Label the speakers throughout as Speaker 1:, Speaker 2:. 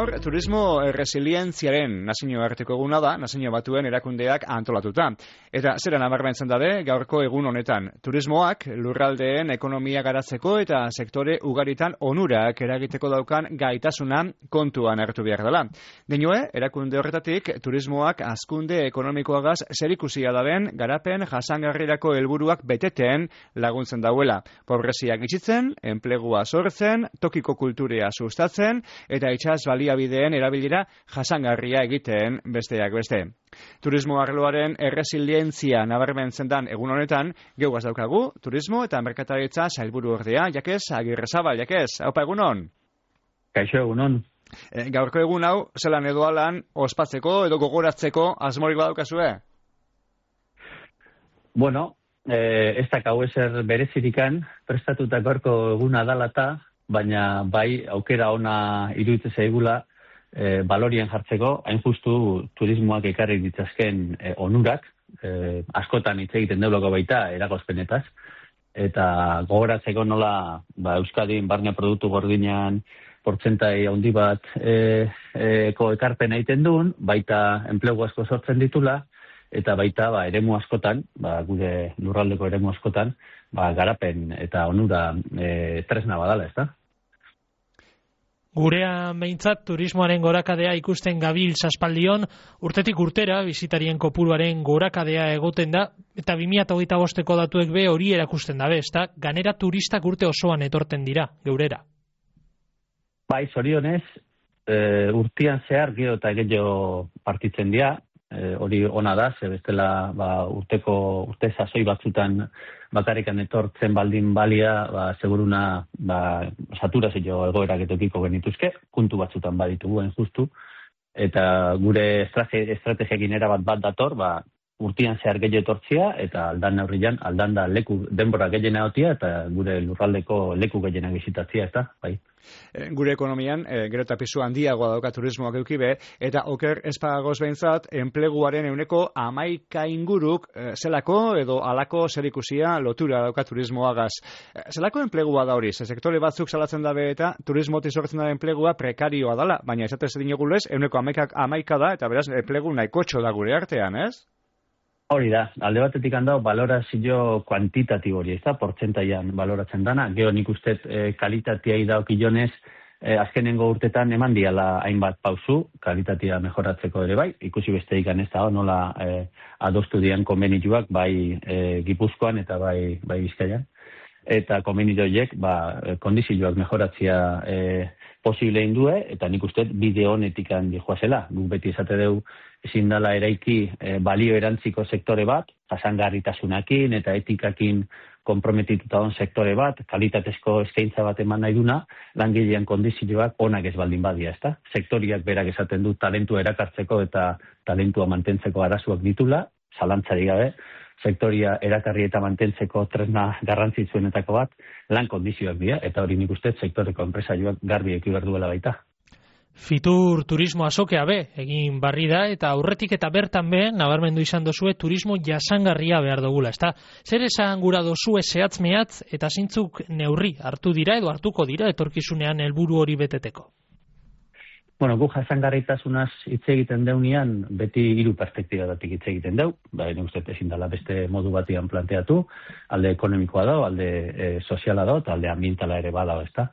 Speaker 1: Gaur, turismo resilientziaren nazioarteko eguna da, Nazio Batuen erakundeak antolatuta. Eta zera nabarmentzen dabe, gaurko egun honetan, turismoak lurraldeen ekonomia garatzeko eta sektore ugaritan onurak eragiteko daukan gaitasuna kontuan hartu behar dela. Dinoe, erakunde horretatik, turismoak hazkunde ekonomikoagaz zerikusia daben garapen jasangarrirako helburuak beteten laguntzen dauela. Pobreziak gitxitzen, enplegua sortzen, tokiko kulturea sustatzen, eta itsas baliabideen erabilera jasangarria egiten besteak beste. Turismo arloaren erresilientzia nabarmentzen dan egun honetan, geugaz daukagu, turismo eta merkataritza sailburu ordea, Jakez Agirrezabal, Jakez, haupa egunon?
Speaker 2: Kaixo egunon.
Speaker 1: Gaurko egun hau, zelan edo alan, ospatzeko edo gogoratzeko asmorik badaukazue?
Speaker 2: Bueno, ez dakau ezer berezirikan, prestatuta gaurko eguna dalata, baina bai aukera ona iruditzen zaigula balorien jartzeko, hain justu turismoak ekarri ditzazken onurak, askotan hitz egiten deuloko baita eragozpenetaz, eta gogoratzeko nola Euskadin barne produktu gordinean portzentai handi bat ekarpen egiten duen, baita enplegu asko sortzen ditula, eta baita eremu askotan, gure lurraldeko eremu askotan, garapen eta onura tresna badala, ez da?
Speaker 3: Gurean behintzat turismoaren gorakadea ikusten gabil aspaldion, urtetik urtera bizitarien kopuruaren gorakadea egoten da, eta 2025ko datuek be hori erakusten dabe, ez da? Ganera turistak urte osoan etorten dira, geurera.
Speaker 2: Bai, zorionez, urtean zehar gero eta gehiago partitzen dira, hori ona da, ze bestela urte sasoi batzutan bakarrikan etortzen baldin balia, seguruna saturazio egoerak etokiko genituzke, puntu batzutan baditugu justu, eta gure estrategiakin erabat bat dator, urtean zehar gehiago etortzia, eta aldan neurrian, aldan da leku denbora gehiena otia, eta gure lurraldeko leku gehiena bizitatzia, eta bai.
Speaker 1: Gure ekonomian, gero eta pisu handiagoa dauka turismoak eukibe, eta oker espagagoz behintzat, enpleguaren 11% inguruk zelako edo alako zerikusia lotura dauka turismoagaz. Zelako enplegua da hori? Sektore batzuk salatzen dabe eta turismotik sortzen da enplegua prekarioa dala, baina esatez dinogulez, 11% da, eta beraz, enplegu nahikotxo da gure artean, ez?
Speaker 2: Hori da, alde batetik handau balorazio kuantitatibo hori, ez da, portzentaian baloratzen dana. Gero nik uste kalitatea idaokionez, azkenengo urtetan eman diala hainbat pausu, kalitatea mejoratzeko ere bai, ikusi beste ikan ez da, nola adostu dian konbenituak, bai Gipuzkoan eta bai Bizkaian. Eta konbenitoiek, kondizioak mejoratzea posible indue, eta nik uste bide honetik handi joazela. Guk beti esate deu ezin dela eraiki balio erantziko sektore bat, jasangarritasunakin eta etikakin konprometituta on sektore bat, kalitatezko eskaintza bat eman nahi duna, langilean kondizioak onak ez baldin badia, ezta? Sektoriak berak esaten du talentua erakartzeko eta talentua mantentzeko arazoak ditula, zalantzarik gabe, sektoria erakarri eta mantentzeko tresna garrantzitsuenetako bat, lan kondizioak dira, eta hori nik uste sektoreko enpresarioak garbi eki behar duela baita.
Speaker 3: Fitur turismo azokea be, egin barri da, eta aurretik eta bertan be, nabarmendu izan dozue, turismo jasangarria behar dugula, ezta? Zer esan gura dozue zehatz mehatz, eta zintzuk neurri hartu dira edo hartuko dira etorkizunean helburu hori beteteko?
Speaker 2: Bueno, gu jasangarritasunaz hitz egiten deunean, beti 3 perspektibadatik hitz egiten deu, nik uste ezin dela beste modu batian planteatu, alde ekonomikoa da, alde soziala da, eta alde ambientala ere bada, ezta?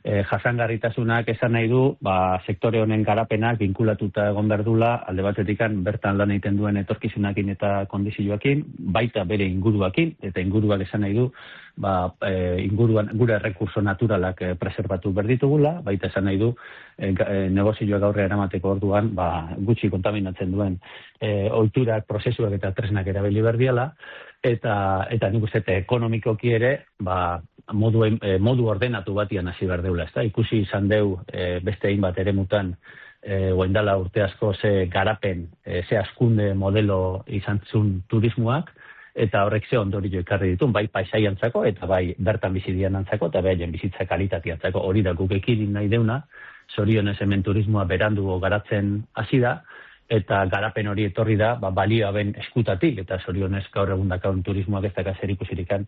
Speaker 2: Jasangarritasunak esan nahi du, sektore honen garapenak vinkulatuta egon berdula, alde batetikan bertan lan egiten duen etorkizunakin eta kondizioakin, baita bere inguruakin, eta inguruak esan nahi du, inguruan gure errekurso naturalak preserbatu berditugula, baita esan nahi du, negozioak aurre eramateko orduan, gutxi kontaminatzen duen ohiturak, prozesuak eta tresnak erabili berdiala, eta nik uste ekonomikoki ere, modu ordenatu batian hasi behar deula, ezta? Ikusi izan deu beste hainbat eremutan oindala urte asko ze garapen, ze hazkunde modelo izan zuen turismoak, eta horrek ze ondorio ekarri ditu, bai paisaiantzako eta bai bertan bizidianantzako eta bai bizitza kalitateantzako. Hori da guk ekidin nahi deuna, zorionez hemen turismoa berandu garatzen hasi da, eta garapen hori etorri da balioa ben eskutatik, eta zorionez gaur egun dakaun turismoak ez daka zer ikusirikan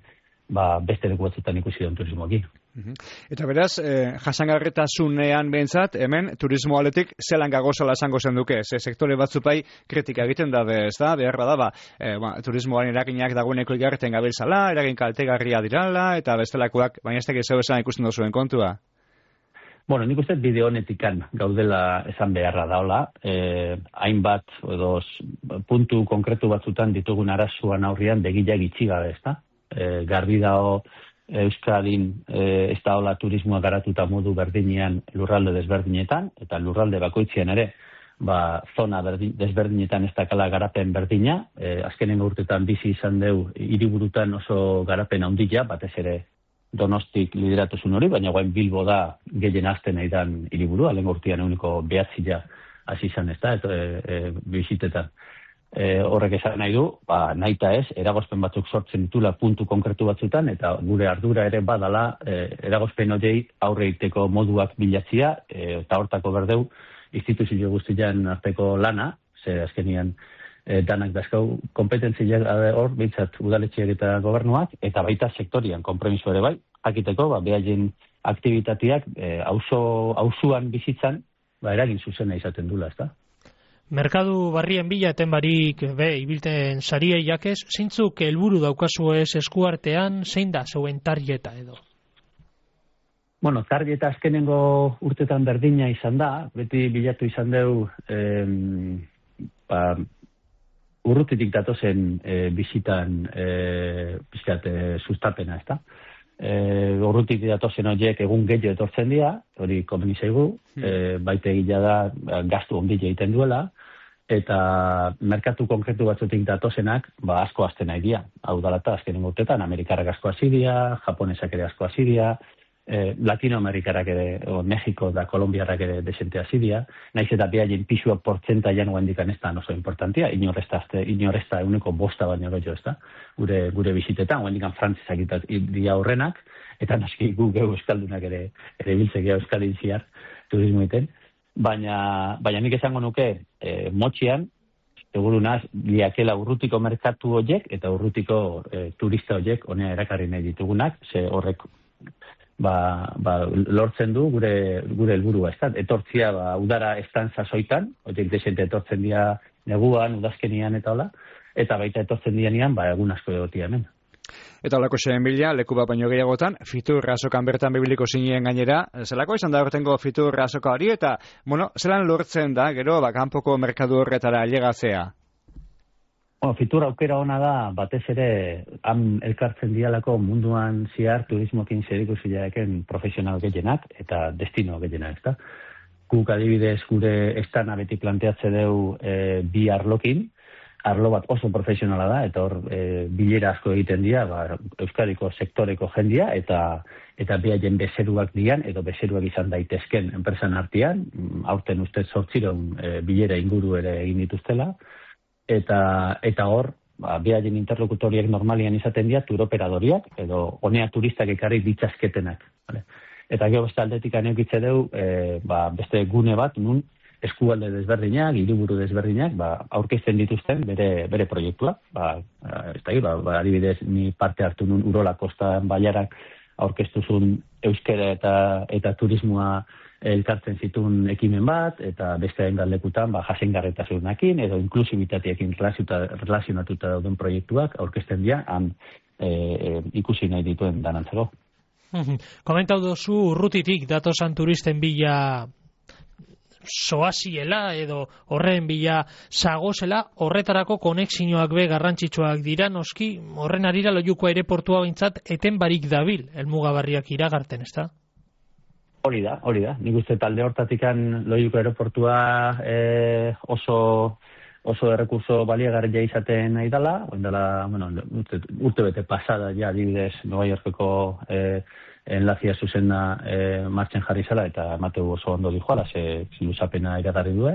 Speaker 2: beste leku batzutan ikusi duen turismoekin.
Speaker 1: Eta beraz, jasangarritasunean behintzat, hemen turismo aletik zelan gagozala esango zenduke, sektore batzupai kritika egiten da, ez da, behar da, turismoaren eraginak dagoeneko igarreten gabiltzala, eragin kaltegarria dirala, eta bestelakoak, baina ez tekiz esan ikusten duzuen kontua.
Speaker 2: Bueno, nik uste bideo honetikan gaudela esan beharra daola, hainbat edo puntu konkretu batzutan ditugun arazoan aurrian begiak itxi gabe, ez da? Garbi dao Euskadin ez da hola turismoa garatuta modu berdinean lurralde desberdinetan, eta lurralde bakoitzean ere, zona desberdinetan ez dakala garapen berdina, azkenengo urtetan bizi izan deu hiriburutan oso garapen handia, batez ere Donostik lideratuzun hori, baina guain Bilbo da gehien azten nahi dan hiriburu, alengo urtean eguneko behatzila hasi izan ez da, bizitetan. Horrek esan nahi du, nahi eta ez, eragozpen batzuk sortzen ditula puntu konkretu batzutan, eta gure ardura ere badala eragozpen horiei aurre egiteko moduak bilatzia, eta hortako berdeu instituzio guztian arteko lana, ze azkenian danak dazkau kompetentziak hor, behintzat udaletxeak eta gobernuak, eta baita sektorian konpromiso ere bai, jakiteko, behaien aktivitateak auzuan bizitzan, eragin zuzena izaten dula, ez da?
Speaker 3: Merkadu barrien bila eten barik ibilten sariei jakez, zeintzuk helburu daukazu ez eskuartean, zein da zeuen tarjeta edo?
Speaker 2: Bueno, tarjeta azkenengo urtetan berdina izan da, beti bilatu izan deu urrutitik datozen bizitan sustapena, ez da? Urrutik datozen horiek egun gehiago etortzen dira, hori komeni zaigu, baite egila da gastu ondile egiten duela, eta merkatu konkretu batzutik datozenak asko azten nahi dira. Hau dalata, azkenengo urtetan, Amerikarrak asko hasi dira, Japonesak ere asko hasi dira, Latinoamerikarak ere, Mexiko da Kolombiarrak ere desente hasi dira, naiz eta behaien pisua portzentaian guendikan ez da oso importantia, inoresta eguneko bosta baino gehiago ez da, gure bizitetan, guendikan frantzesak dira horrenak, eta naski gu geu euskaldunak ere biltzekea euskaldin ziar turismo egiten, baina nik esango nuke motxian, segurunaz, liakela urrutiko merkatu horiek eta urrutiko turista horiek honea erakarri nahi ditugunak, ze horrek lortzen du gure helburua, ez da? Etortzia udara estan sasoitan, horiek desente etortzen dira neguan, udazkenian eta hola, eta baita etortzen dianean, egun asko egotia hemen.
Speaker 1: Eta holako xeen bila, leku bat baino gehiagotan, fitur azokan bertan bibiliko zinien gainera, zelako izan da hortengo fitur azoka hori, eta, zelan lortzen da, gero, kanpoko merkadu horretara ailegatzea?
Speaker 2: Fitur aukera ona da, batez ere, han elkartzen dialako munduan ziar turismokin zerikusiaken profesional gehienak eta destino gehienak, ez da? Guk adibidez gure estana beti planteatze deu bi arlokin, arlo bat oso profesionala da, eta hor bilera asko egiten dira, Euskadiko sektoreko jendia, eta behaien bezeruak dian, edo bezeruak izan daitezken enpresan artean, aurten ustez 800 bilera inguru ere egin dituztela, eta hor, behaien interlokutoriak normalian izaten dira turoperadoriak, edo honea turistak ekarri ditzazketenak. Eta gero beste aldetik aneukitze deu, beste gune bat, nun eskualde desberdinak, hiriburu desberdinak, aurkezten dituzten bere proiektua. Adibidez, ni parte hartu nun Urola Kostan Baiarak aurkeztuzun euskera eta turismoa elkartzen zituen ekimen bat, eta beste hainbat lekutan jasangarritasunarekin edo inklusibitateekin relazionatuta dauden proiektuak aurkezten dira, ikusi nahi dituen danantzeko.
Speaker 3: Komentau dozu urrutitik datosan turisten bila soaziela edo horren bila zagozela, horretarako konexioak garrantzitsuak dira, noski horren arira Loiuko aireportua behintzat eten barik dabil, helmugabarriak iragarten, ez da?
Speaker 2: Hori da. Nik uste talde hortatikan Loiuko aireportua oso errekurso baliagarria izaten nahi dela, urte bete pasada ja adibidez Nueva Yorkeko enlazia zuzena martxen jarri zela, eta emateu oso ondo dijoala, ze luzapena iragarri du,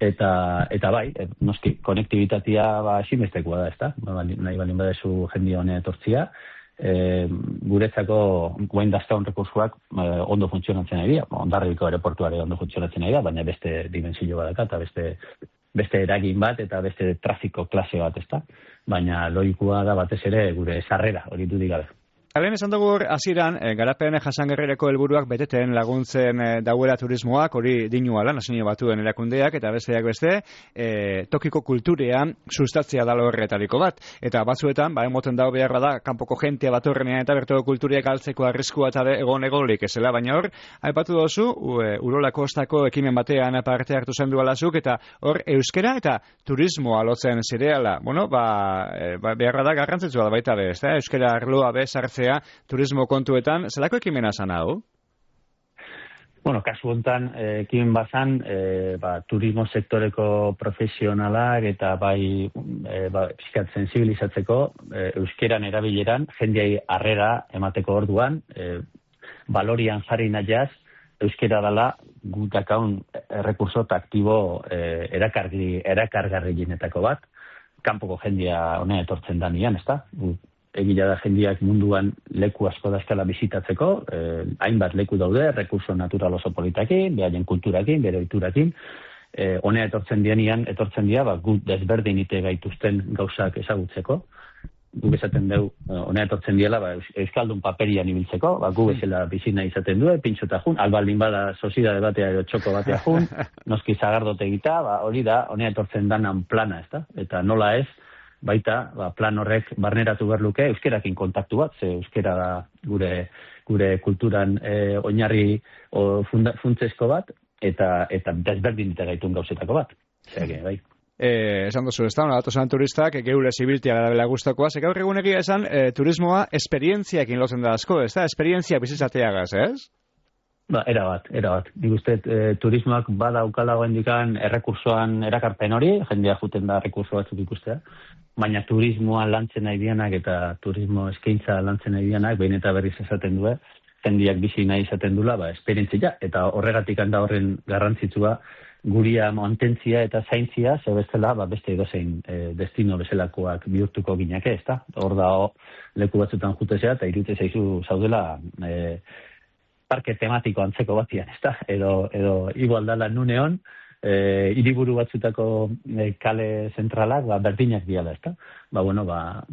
Speaker 2: eta bai, noski, konektibitatea ezinbestekoa da, ez da? Nahi balin badezu jendia honen etortzia, guretzako guain dazkaun rekursuak ondo funtzionatzen nahi dira, Hondarribiko aireportuare ondo funtzionatzen nahi da, baina beste dimensio badaka, eta beste eragin bat, eta beste trafiko klase bat, ez da? Baina Loikua da batez ere gure sarrera, hori dudik gabe.
Speaker 1: Halen esan dugu hasieran garapen jasangarrirako helburuak beteten laguntzen dauela turismoak, hori dinuala Nazio Batuen erakundeak, eta besteak beste tokiko kulturean sustatzea da horretariko bat. Eta batzuetan, emoten dago beharra da, kanpoko jentea batorrenean eta bertoko kulturiak galtzeko arriskua eta egolik ezela, baina hor, aipatu dozu, Urola Kostako ekimen batean parte hartu zen dualazuk, eta hor euskera eta turismoa lotzen zireala. Bueno, beharra da garrantzitsua da baita bez, euskera arloa bez hartzea turismo kontuetan, zelako ekimena zan hau?
Speaker 2: Bueno, kasu hontan, ekimen bazan, turismo sektoreko profesionalak eta pixkat sensibilizatzeko, euskeran erabileran, jendeai harrera emateko orduan, balorian jarri nahiaz, euskera dela gutakaun errekurso aktibo erakargarrienetako bat, kanpoko jendea honea etortzen da nian, ezta? Egia da jendeak munduan leku asko dazkala bizitatzeko, hainbat leku daude, rekurso natural oso politakin, behaien kulturakin, bere oiturakin, honea etortzen dira, gut desberdinite gaituzten gauzak ezagutzeko, gu esaten dugu, honea etortzen diela, euskaldun paperian ibiltzeko, gu bezala bizina izaten du, pintxota jun, albaldin bada soziedade batea edo txoko batea jun, noski zagardote egita, hori da, honea etortzen danan plana, ezta? Eta nola ez, baita, plan horrek barneratu behar luke euskerakin kontaktu bat, ze euskera da gure kulturan oinarri funtsesko bat, eta desberdin dita gaitun gauzetako bat. Bai.
Speaker 1: Esan duzu, ez da, datosan turistak, geure zibiltia garabela guztakoa, gaur egun egia esan, turismoa esperientziakin lotzen da asko, ez da? Esperientzia bizitzateagaz, ez?
Speaker 2: Erabat. Nik uste turismoak badaukala goendikan errekursoan erakarpen hori, jendea juten da errekurso batzuk ikustea, baina turismoa lantzen nahi dianak eta turismo eskaintza lantzen nahi dianak, behin eta berriz esaten du, jendeak bizi nahi izaten dula, esperientzia, eta horregatik handa horren garrantzitsua guria mantentzia eta zaintzia, zebestela, beste edozein destino bezalakoak bihurtuko gineke, ez da? Hor da, leku batzutan jutezea, eta irute zaizu zaudela parke tematiko antzeko batian, ez da? Edo igual dala nuneon, hiriburu batzutako kale zentralak berdinak diala, ez da?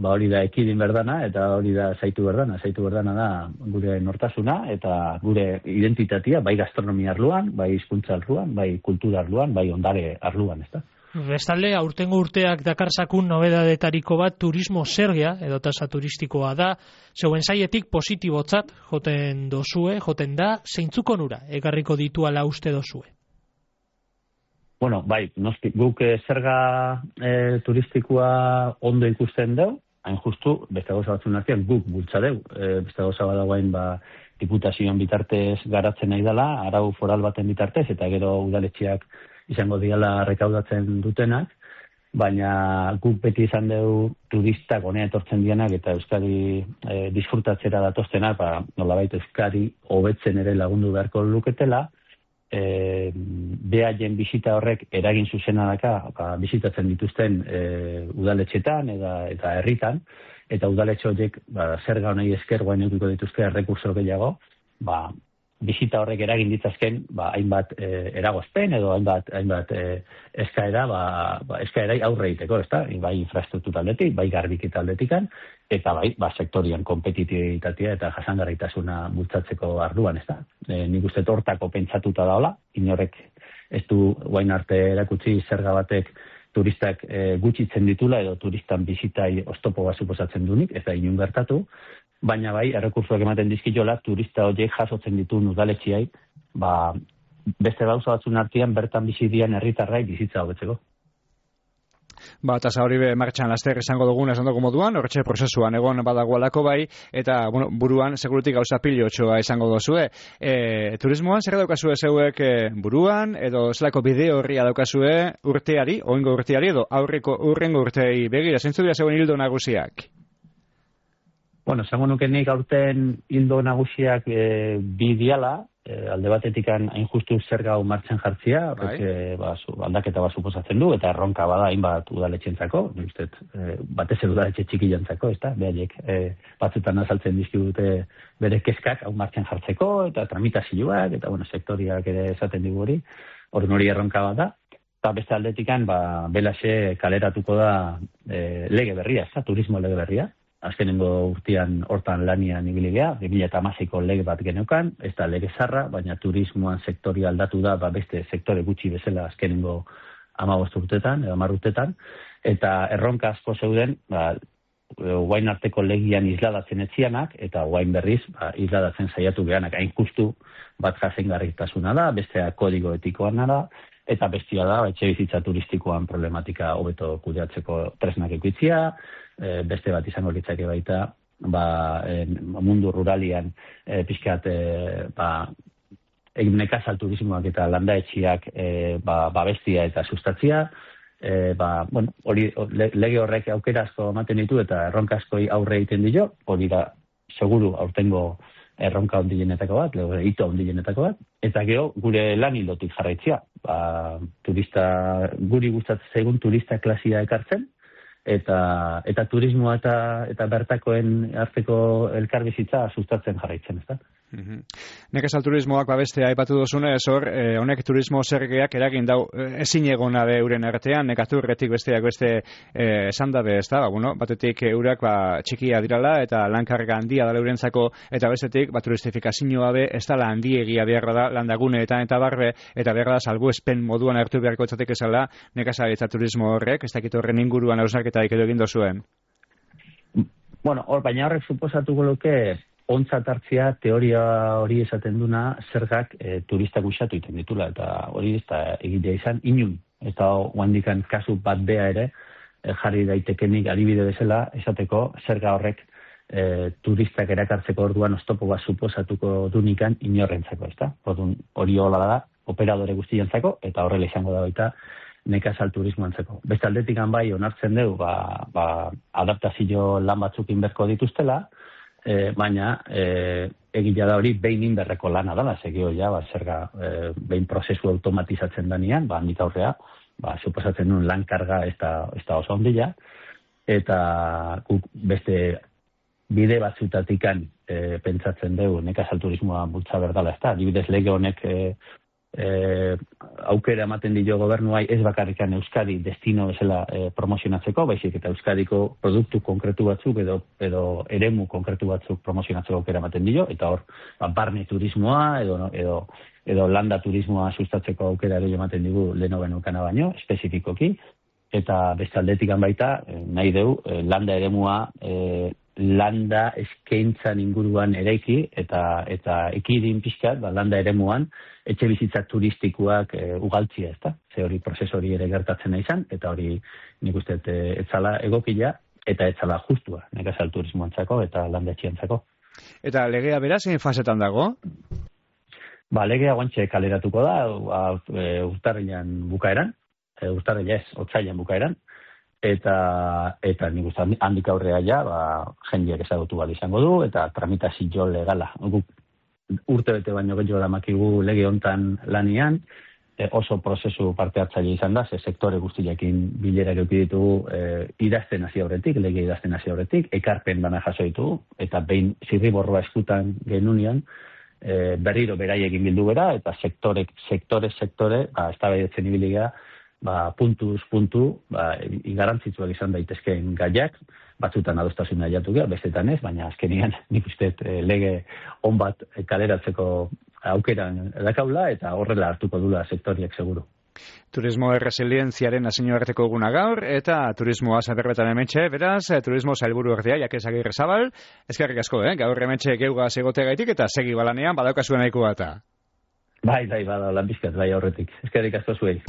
Speaker 2: Hori da ekidin berdana, eta hori da zaitu berdana. Zaitu berdana da gure nortasuna, eta gure identitatea, bai gastronomia arluan, bai hizkuntza arluan, bai kultura arluan, bai ondare arluan, ez da?
Speaker 3: Bestalde, aurtengo urteak dakarzakun nobedadetariko bat turismo zergia, edo tasa turistikoa da, zeuen saietik positibotzat joten da, zeintzuk onura, egarriko dituala uste dozue?
Speaker 2: Bueno, noski, guk zerga turistikoa ondo ikusten deu, hain justu, beste gauza batzun artean guk bultza deu, beste gauza badagoen diputazioan bitartez garatzen nahi dela, arau foral baten bitartez, eta gero udaletxeak izango diala rekaudatzen dutenak, baina guk beti izan deu turistak honea etortzen dianak eta Euskadi disfrutatzera datoztenak, nolabait Euskadi hobetzen ere lagundu beharko luketela, behaien bisita horrek eragin zuzena daka bisitatzen dituzten udaletxetan eta herritan, eta udaletxe horiek zerga honei esker guain edukiko dituzte errekurso gehiago, bisita horrek eragin ditzazken hainbat eragozpen edo hainbat eskaera eskaerai aurre egiteko, ezta? Bai infrastruktura aldetik, bai garbiketa aldetikan, eta bai sektorian kompetitibitatea eta jasangarritasuna bultzatzeko arduan, ezta? Nik uste hortako pentsatuta daola, inorek ez du guain arte erakutsi zerga batek turistak gutxitzen ditula edo turistan bizitai oztopo bat suposatzen dunik, ez da inun gertatu, baina bai, errekursoak ematen dizkiola, turista horiek jasotzen ditu udaletxeai, beste gauza batzun artean bertan bizi dian herritarrai bizitza hobetzeko.
Speaker 1: Tasa hori martxan laster izango duguna esan dugu moduan, horretxe prozesuan egon badagoalako bai, eta buruan segurutik gauza pilotxoa izango dozue. Turismoan zer daukazue zeuek buruan, edo zelako bideo horria daukazue urteari, oingo urteari, edo urrengo urtei begira, zeintzu dira zeuen hildo nagusiak?
Speaker 2: Esango nuke nik aurten hildo nagusiak bi diala, alde batetik hain justu zerga hau martxan jartzia, aldaketa bat suposatzen du, eta erronka bada hainbat udaletxentzako, batez udaletxe txikilantzako, ez da, behaiek batzutan azaltzen dizkigute bere kezkak hau martxan jartzeko, eta tramitazioak, eta sektoriak ere esaten digu hori erronka bat da, eta beste aldetikan, belaxe kaleratuko da lege berria, ez da, turismo lege berria, azkenengo urtean hortan lanian ibili gea, 2016ko lege bat geneukan, ez da lege zarra, baina turismoan sektori aldatu da, beste sektore gutxi bezala azkenengo 15 urtetan, edo 10 urtetan, eta erronka asko zeuden, guain arteko legian isladatzen etzianak, eta guain berriz, isladatzen saiatu gehanak, hain justu bat jasengarritasuna da, bestea kodigo etikoan da, eta bestia da, etxebizitza turistikoan problematika hobeto kudeatzeko tresnak ekoitzia, beste bat izango litzake baita, mundu ruralian pixkat nekazal turismoak eta landaetxiak bestia eta sustatzia, lege horrek aukera asko ematen ditu eta erronka asko aurre egiten dio, hori da seguru aurtengo erronka ondilenetako bat, hito ondilenetako bat, eta gero gure lan hildotik jarraitzea. Guri gustatzen zaigun turista klasia ekartzen, eta turismoa eta bertakoen arteko elkarbizitza sustatzen jarraitzen, ezta?
Speaker 1: Nekazal turismoak bestea aipatu duzunez, honek turismo zergeak eragin dau ezin egona de euren artean, nekaturretik besteak beste esan dabe, ez da? Batetik eurak txikia dirala eta lankarga handia dala eurentzako, eta bestetik turistifikazioa be ez dala handiegia beharra da landaguneetan eta barbe, eta beharra da salbuespen moduan hartu beharko etzatek ezala nekazaritza turismo horrek, ez dakit horren inguruan hausnarketarik edo egin dozuen?
Speaker 2: Baina horrek suposatuko luke ontzat hartzea teoria hori esaten duna zergak turistak usatu iten ditula, eta hori ez da egitea izan inun. Eta oandikan kasu bat bea ere jarri daitekenik adibide bezala esateko zerga horrek turistak erakartzeko orduan oztopo bat suposatuko dunikan inorrentzako, ezta? Hori hola da, operadore guztientzako, eta horrela izango da baita nekazal turismoantzako. Beste aldetik bai onartzen dugu, adaptazio lan batzuk inberko dituztela, baina egia da hori behin inberreko lana dela, segio zerga behin prozesu automatizatzen danean, handik aurrea, suposatzen duen lan karga ez da oso ondila, eta beste bide batzutatikan pentsatzen dugu nekazal turismoa bultza berdala, ez da, adibidez lege honek aukera ematen dio gobernuai ez bakarrikan Euskadi destino bezala promozionatzeko, baizik eta Euskadiko produktu konkretu batzuk edo eremu konkretu batzuk promozionatzeko aukera ematen dio, eta hor barne turismoa edo landa turismoa sustatzeko aukera ere ematen digu leheno benukana baino, espezifikoki, eta beste aldetik baita nahi dugu landa eremua landa eskaintzan inguruan eraiki eta ekidin pixkat, landa eremuan etxe bizitza turistikoak ugaltzia, ezta? Ze hori prozesu hori ere gertatzen izan, eta hori nik uste etzala egokila eta etzala justua nekazal turismoantzako eta landa etxiantzako.
Speaker 1: Eta legea beraz, zein fasetan dago?
Speaker 2: Legea guantxe kaleratuko da, urtarrilan bukaeran, otsailean bukaeran, eta nik uste handik aurrea jendeak ezagutu bali izango du, eta tramitazio legala. Urte bete baino gehiago damakigu lege hontan lanian, oso prozesu parte hartzaile izan da, sektore guztiakin bilera eduki ditugu idazten hasi aurretik, lege idazten hasi aurretik, ekarpen bana jaso ditugu, eta behin zirriborroa eskutan genunean, berriro beraiekin bildu bera, eta sektore, eztabaidatzen ibili gara, puntuz puntu, garrantzitsuak izan daitezkeen gaiak, batzutan adostasuna jatu gara, bestetan ez, baina azkenian nik uste lege on bat kaleratzeko aukeran dakaula, eta horrela hartuko dula sektoriak seguru.
Speaker 1: Turismo erresilientziaren nazioarteko eguna gaur, eta turismoa zaberbetan hementxe, beraz, turismo sailburu ordea, Jakez Agirrezabal, eskerrik asko, gaur hementxe geugaz egotegaitik, eta segi balanean, badaukazuen nahiko bata.
Speaker 2: Bai, bada, lan bizkat, bai aurretik. Eskerrik asko zuei.